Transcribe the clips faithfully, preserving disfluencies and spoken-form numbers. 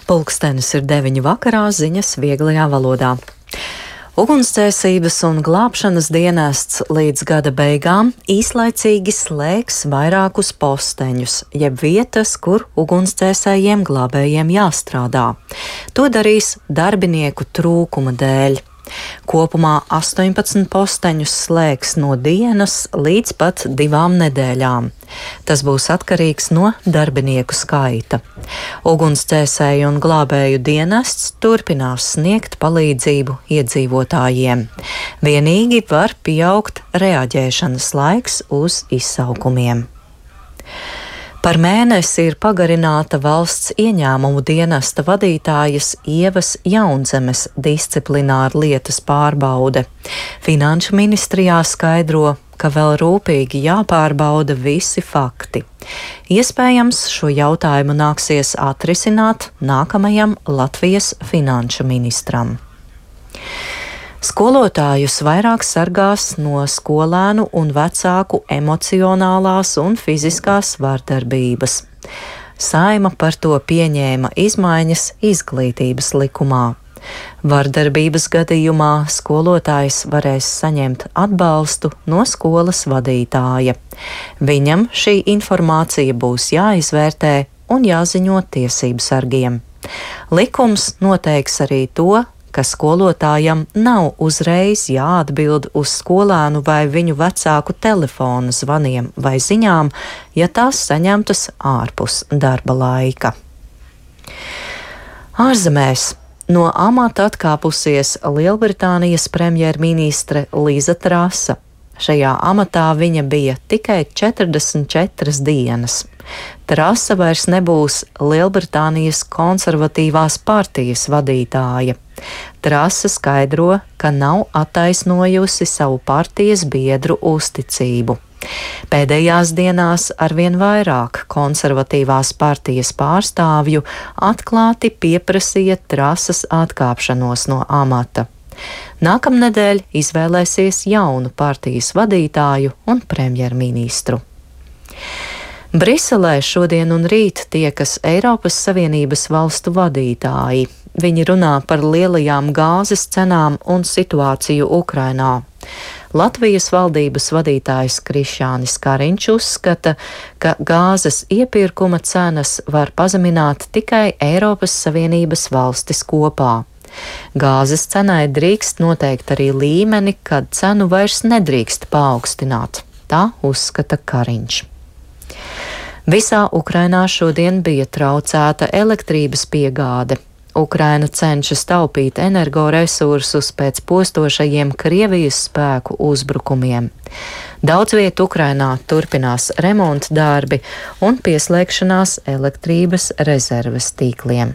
Pulkstenis ir deviņi vakarā, ziņas vieglajā valodā. Ugunsdzēsības un glābšanas dienests līdz gada beigām īslaicīgi slēgs vairākus posteņus, jeb vietas, kur ugunsdzēsējiem glābējiem jāstrādā. To darīs darbinieku trūkuma dēļ. Kopumā astoņpadsmit posteņus slēgs no dienas līdz pat divām nedēļām. Tas būs atkarīgs no darbinieku skaita. Ugunsdzēsēju un glābēju dienests turpinās sniegt palīdzību iedzīvotājiem. Vienīgi var pieaugt reaģēšanas laiks uz izsaukumiem. Par mēnesi ir pagarināta valsts ieņēmumu dienesta vadītājas Ievas Jaunzemes disciplināra lietas pārbaude. Finanšu ministrijā skaidro, ka vēl rūpīgi jāpārbauda visi fakti. Iespējams, šo jautājumu nāksies atrisināt nākamajam Latvijas finanšu ministram. Skolotājus vairāk sargās no skolēnu un vecāku emocionālās un fiziskās vardarbības. Saeima par to pieņēma izmaiņas izglītības likumā. Vardarbības gadījumā skolotājs varēs saņemt atbalstu no skolas vadītāja. Viņam šī informācija būs jāizvērtē un jāziņo tiesību sargiem. Likums noteiks arī to, ka skolotājam nav uzreiz jāatbild uz skolēnu vai viņu vecāku telefona zvaniem vai ziņām, ja tās saņemtas ārpus darba laika. Ārzemēs no amata atkāpusies Lielbritānijas premjerministre Liza Trasa. Šajā amatā viņa bija tikai četrdesmit četras dienas. Trasa vairs nebūs Lielbritānijas konservatīvās partijas vadītāja. Trasa skaidro, ka nav attaisnojusi savu partijas biedru uzticību. Pēdējās dienās arvien vairāk konservatīvās partijas pārstāvju atklāti pieprasīja Trasas atkāpšanos no amata. Nākamnedēļ izvēlēsies jaunu partijas vadītāju un premjerministru. Briselē šodien un rīt tiekas Eiropas Savienības valstu vadītāji. Viņi runā par lielajām gāzes cenām un situāciju Ukrainā. Latvijas valdības vadītājs Krišjānis Kariņš uzskata, ka gāzes iepirkuma cenas var pazemināt tikai Eiropas Savienības valstis kopā. Gāzes cenai drīkst noteikt arī līmeni, kad cenu vairs nedrīkst paaugstināt. Tā uzskata Kariņš. Visā Ukrainā šodien bija traucēta elektrības piegāde. Ukraina cenšas taupīt energoresursus pēc postošajiem Krievijas spēku uzbrukumiem. Daudz viet Ukrainā turpinās remonta darbi un pieslēgšanās elektrības rezerves tīkliem.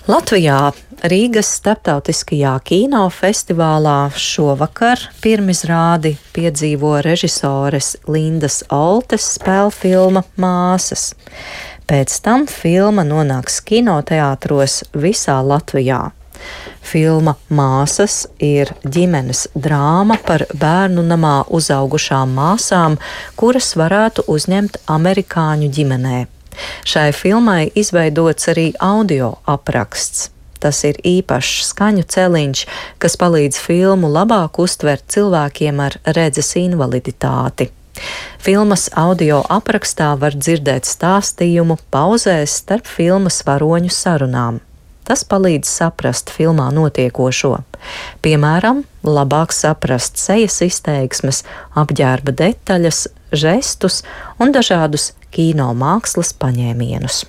Latvijā Rīgas starptautiskajā kinofestivālā šovakar pirmizrādi piedzīvo režisores Lindas Oltes spēlfilma Māsas. Pēc tam filma nonāks kinoteātros visā Latvijā. Filma Māsas ir ģimenes drāma par bērnu namā uzaugušām māsām, kuras varētu uzņemt amerikāņu ģimenē. Šai filmai izveidots arī audio apraksts. Tas ir īpašs skaņu celiņš, kas palīdz filmu labāk uztvert cilvēkiem ar redzes invaliditāti. Filmas audio aprakstā var dzirdēt stāstījumu pauzēs starp filmas varoņu sarunām. Tas palīdz saprast filmā notiekošo. Piemēram, labāk saprast sejas izteiksmes, apģērba detaļas, žestus un dažādus kino mākslas paņēmienus.